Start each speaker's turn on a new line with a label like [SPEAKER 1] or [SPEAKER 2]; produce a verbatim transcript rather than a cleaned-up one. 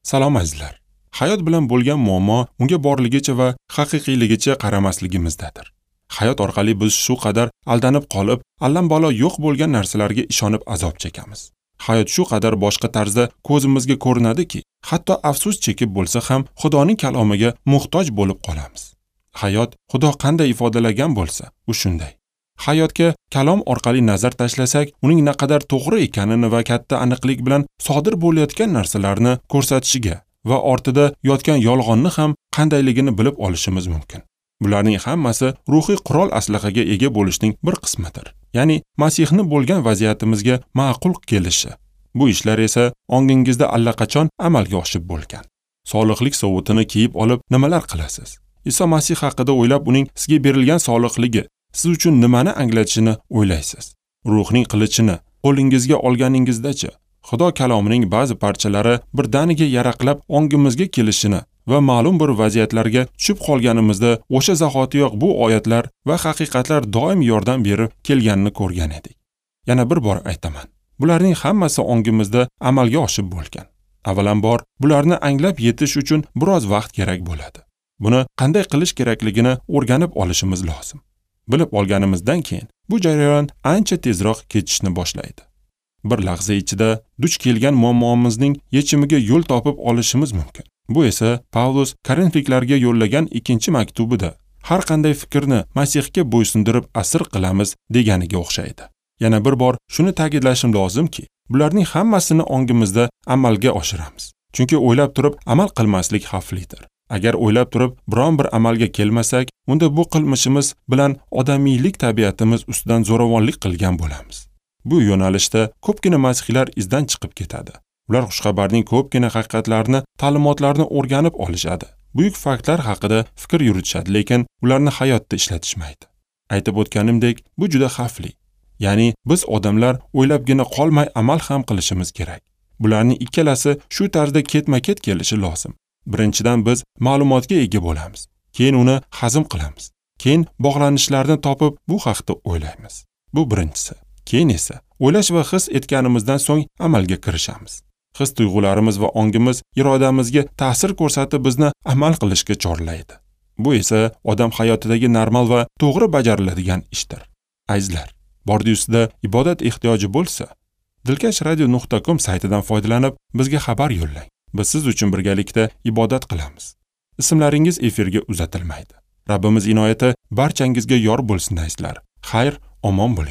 [SPEAKER 1] Salom azizlar. Hayot bilan bo'lgan muammo unga borligicha va haqiqiyligicha qaramasligimizdadir. Hayot orqali biz shu qadar aldanib qolib, allambalo yo'q bo'lgan narsalarga ishonib azob chekamiz. Hayot shu qadar boshqa tarzda ko'zimizga ko'rinadiki, hatto afsus chekib bo'lsa ham Xudoning kalomiga muhtoj bo'lib qolamiz. Hayot Xudo qanday ifodalagan bo'lsa, u shunday. Hayotga kalom orqali nazar tashlasak, uning naqadar to'g'ri ekanini va katta aniqlik bilan sodir bo'layotgan narsalarni ko'rsatishiga va ortida yotgan yolg'onni ham qandayligini bilib olishimiz mumkin. Bularning hammasi ruhiy qurol aslahaga ega bo'lishning bir qismidir. Ya'ni Masihni bo'lgan vaziyatimizga ma'qul kelishi. Bu ishlar esa ongingizda allaqachon amalga oshib bo'lgan. Solihlik sovutini kiyib olib nimalar qilasiz? Iso Masih haqida o'ylab, uning sizga berilgan solihligi siz uchun nimani anglatishini o'ylaysiz. Ruhning qilichini qo'lingizga olganingizdachi, Xudo kalomining ba'zi parchalari birdaniga yaraqlab ongimizga kelishini va ma'lum bir vaziyatlarga tushib qolganimizda o'sha zahotiyoq bu oyatlar va haqiqatlar doim yordam berib kelganini ko'rgan edik. Yana bir bor aytaman. Bularning hammasi ongimizda amalga oshib bo'lgan. Avvalambor, bularni anglab yetish uchun biroz vaqt kerak bo'ladi. Buni qanday qilish kerakligini o'rganib olishimiz lozim. Bilib olganimizdan keyin bu jarayon ancha tezroq ketishni boshlaydi. Bir lahza ichida duch kelgan muammomizning yechimiga yo'l topib olishimiz mumkin. Bu esa Pavlus Korinfliklarga yo'llagan ikkinchi maktubida har qanday fikrni Masihga bo'ysundirib asir qilamiz deganiga o'xshaydi. Yana bir bor shuni ta'kidlashim lozimki, bularning hammasini ongimizda amalga oshiramiz. Chunki o'ylab turib amal qilmaslik xavflidir. Agar o'ylab turib biron bir amalga kelmasak, unda bu qilmishimiz bilan odamiylik tabiatimiz ustidan zo'ravonlik qilgan bo'lamiz. Bu yo'nalishda ko'pgina masihiylar izdan chiqib ketadi. Ular xushxabarning ko'pgina haqiqatlarini, ta'limotlarini o'rganib olishadi. Buyuk faktlar haqida fikr yuritishadi, lekin ularni hayotda ishlatishmaydi. Aytib o'tganimdek, bu juda xavfli. Ya'ni biz odamlar o'ylabgina qolmay amal ham qilishimiz kerak. Bularning ikkalasi shu tarzda ketma-ket kelishi lozim. Birinchidan biz ma'lumotga ega bo'lamiz, keyin uni hazm qilamiz. Keyin bog'lanishlarni topib bu haqda o'ylaymiz. Bu birinchisi. Keyin esa o'ylash va his etganimizdan so'ng amalga kirishamiz. His tuyg'ularimiz va ongimiz irodamizga ta'sir ko'rsatib bizni amal qilishga chorlaydi. Bu esa odam hayotidagi normal va to'g'ri bajariladigan ishdir. Azizlar, bordi-ustida ibodat ehtiyoji bo'lsa, dilkash radio nuqta com saytidan foydalanib bizga xabar yo'llang. Biz siz uchun birgalikda ibodat qilamiz. Ismlaringiz efirga uzatilmaydi. Rabbimiz inoyati barchangizga yor bo'lsin azizlar. Xayr, omon bo'ling.